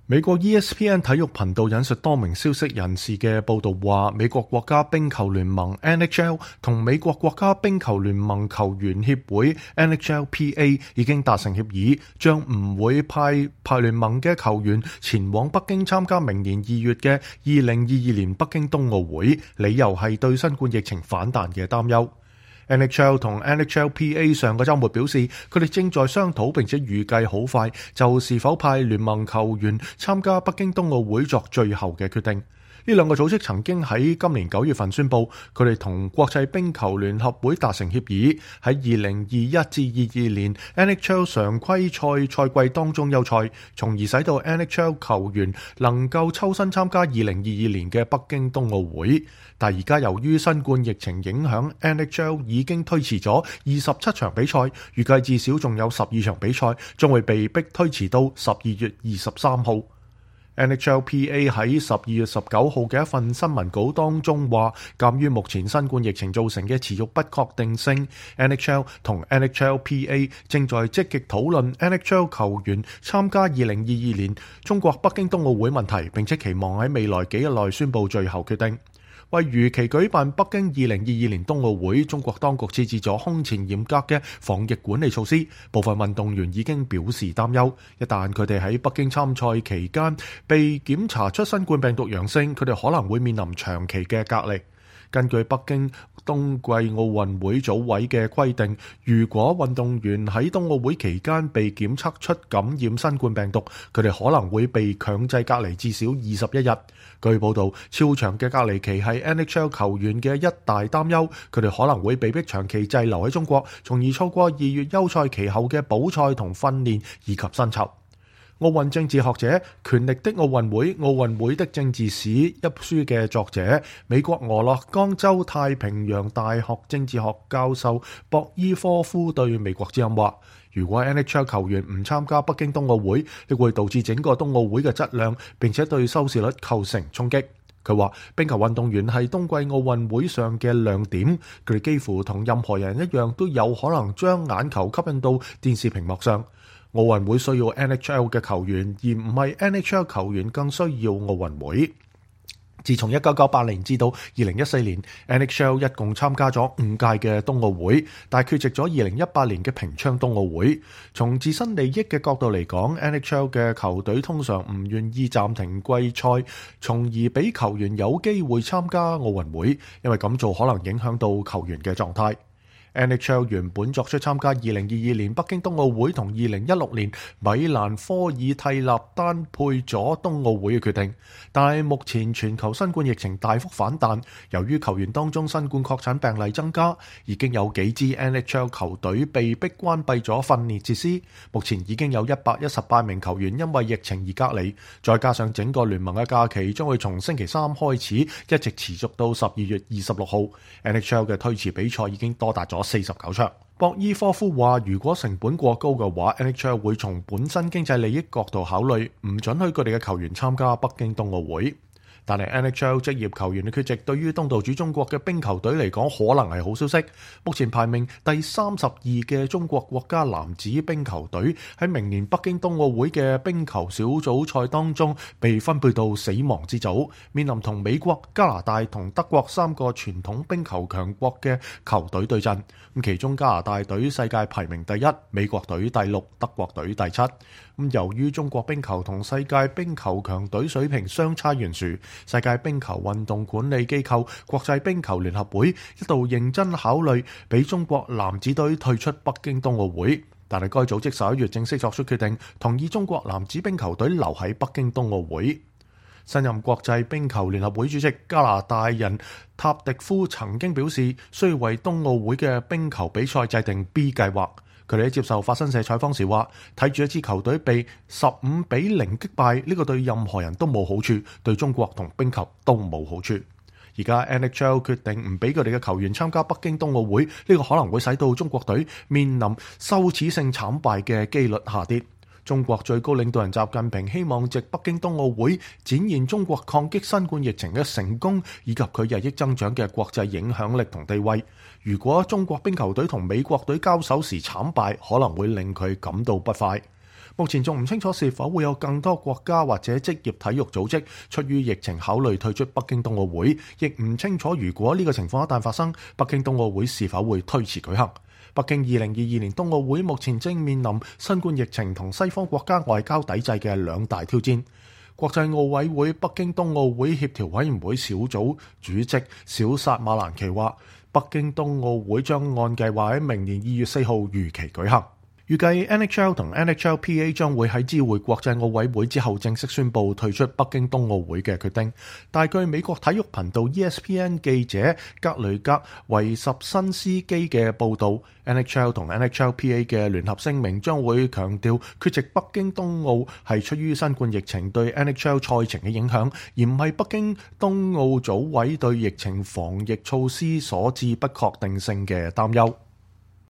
美國 ESPN 體育頻道引述多名消息人士嘅報道話，美國國家冰球聯盟 NHL 同美國國家冰球聯盟球員協會 NHLPA 已經達成協議，將唔會派聯盟嘅球員前往北京參加明年2月嘅2022年北京冬奧會，理由係對新冠疫情反彈嘅擔憂。NHL 同 NHLPA 上個週末表示，佢哋正在商討並且預計好快就是否派聯盟球員參加北京冬奧會作最後嘅決定。呢兩個組織曾經喺今年9月份宣布，佢哋同國際冰球聯合會達成協議，喺2021至22年 NHL 常規賽季當中休賽，從而使到 NHL 球員能夠抽身參加2022年嘅北京冬奧會。但而家由於新冠疫情影響， NHL 已經推遲咗27場比賽，預計至少仲有12場比賽將會被迫推遲到12月23號。NHLPA 喺12月19號嘅一份新聞稿當中話，鑑於目前新冠疫情造成嘅持續不確定性， NHL 同 NHLPA 正在積極討論 NHL 球員參加2022年中國北京冬奧會問題，並且期望喺未來幾日內宣布最後決定。為如期舉辦北京2022年冬奧會，中國當局設置咗空前嚴格嘅防疫管理措施，部分運動員已經表示擔憂，一旦佢哋喺北京參賽期間被檢查出新冠病毒陽性，佢哋可能會面臨長期嘅隔離。根據北京冬季奧運會組委嘅規定，如果運動員喺冬奧會期間被檢測出感染新冠病毒，佢哋可能會被強制隔離至少21日。據報道，超長嘅隔離期係 NHL 球員嘅一大擔憂，佢哋可能會被迫長期滯留喺中國，從而錯過2月休賽期後嘅補賽同訓練以及薪酬。奧運政治學者《權力的奧運會：奧運會的政治史》一書嘅作者、美國俄勒岡州太平洋大學政治學教授博伊科夫對美國之音話，如果 NHL 球員唔參加北京冬奧會，亦會導致整個冬奧會嘅質量，並且對收視率構成衝擊。佢話冰球運動員係冬季奧運會上嘅亮點，佢哋幾乎同任何人一樣都有可能將眼球吸引到電視屏幕上。奧運會需要 NHL 嘅球員，而唔係 NHL 球員更需要奧運會。自從1998年至到2014年 ，NHL 一共參加咗5屆嘅冬奧會，但缺席咗2018年嘅平昌冬奧會。從自身利益嘅角度嚟講， NHL 嘅球隊通常唔願意暫停季賽，從而俾球員有機會參加奧運會，因為咁做可能影響到球員嘅狀態。NHL 原本作出參加2022年北京冬奧會同2016年米蘭科爾蒂納丹佩佐冬奧會嘅決定，但係目前全球新冠疫情大幅反彈，由於球員當中新冠確診病例增加，已經有幾支 NHL 球隊被迫關閉咗訓練設施，目前已經有118名球員因為疫情而隔離，再加上整個聯盟嘅假期將會從星期3開始，一直持續到12月26號。NHL 嘅推遲比賽已經多達咗49場。博伊科夫話，如果成本過高嘅話， NHL 會從本身經濟利益角度考慮，唔准許佢哋嘅球員參加北京冬奧會。但係 NHL 職業球員嘅缺席對於東道主中國嘅冰球隊嚟講可能係好消息。目前排名第32嘅中國國家男子冰球隊喺明年北京冬奧會嘅冰球小組賽當中被分配到死亡之組，面臨同美國、加拿大同德國3個傳統冰球強國嘅球隊對陣。其中加拿大隊世界排名第1，美國隊第6，德國隊第7。由於中國冰球同世界冰球強隊水平相差懸殊，世界冰球運動管理機構國際冰球聯合會一度認真考慮俾中國男子隊退出北京冬奧會，但係該組織11月正式作出決定，同意中國男子冰球隊留喺北京冬奧會。新任國際冰球聯合會主席加拿大人塔迪夫曾經表示，需要為冬奧會嘅冰球比賽制定 B 計劃。佢哋喺接受法新社採訪時話，睇住一支球隊被15-0擊敗，呢個對任何人都冇好處，對中國同冰球都冇好處。而家 NHL 決定唔俾佢哋嘅球員參加北京冬奧會，呢個可能會使到中國隊面臨羞恥性慘敗嘅機率下跌。中國最高領導人習近平希望藉北京冬奧會展現中國抗擊新冠疫情嘅成功，以及佢日益增長嘅國際影響力同地位。如果中國冰球隊同美國隊交手時慘敗，可能會令佢感到不快。目前仲唔清楚是否會有更多國家或者職業體育組織出於疫情考慮退出北京冬奧會，亦唔清楚如果呢個情況一旦發生，北京冬奧會是否會推遲舉行。北京2022年冬奧會目前正面臨新冠疫情同西方國家外交抵制嘅兩大挑戰。國際奧委會北京冬奧會協調委員會小組主席小薩馬蘭奇話，北京冬奧會將按計劃喺明年2月4號如期舉行。預計 NHL 同 NHLPA 將會喺知會國際奧委會之後正式宣布退出北京冬奧會嘅決定。但據美國體育頻道 ESPN 記者格雷格維什辛斯基嘅報導， NHL 同 NHLPA 嘅聯合聲明將會強調缺席北京冬奧係出於新冠疫情對 NHL 賽程嘅影響，而唔係北京冬奧組委對疫情防疫措施所致不確定性嘅擔憂。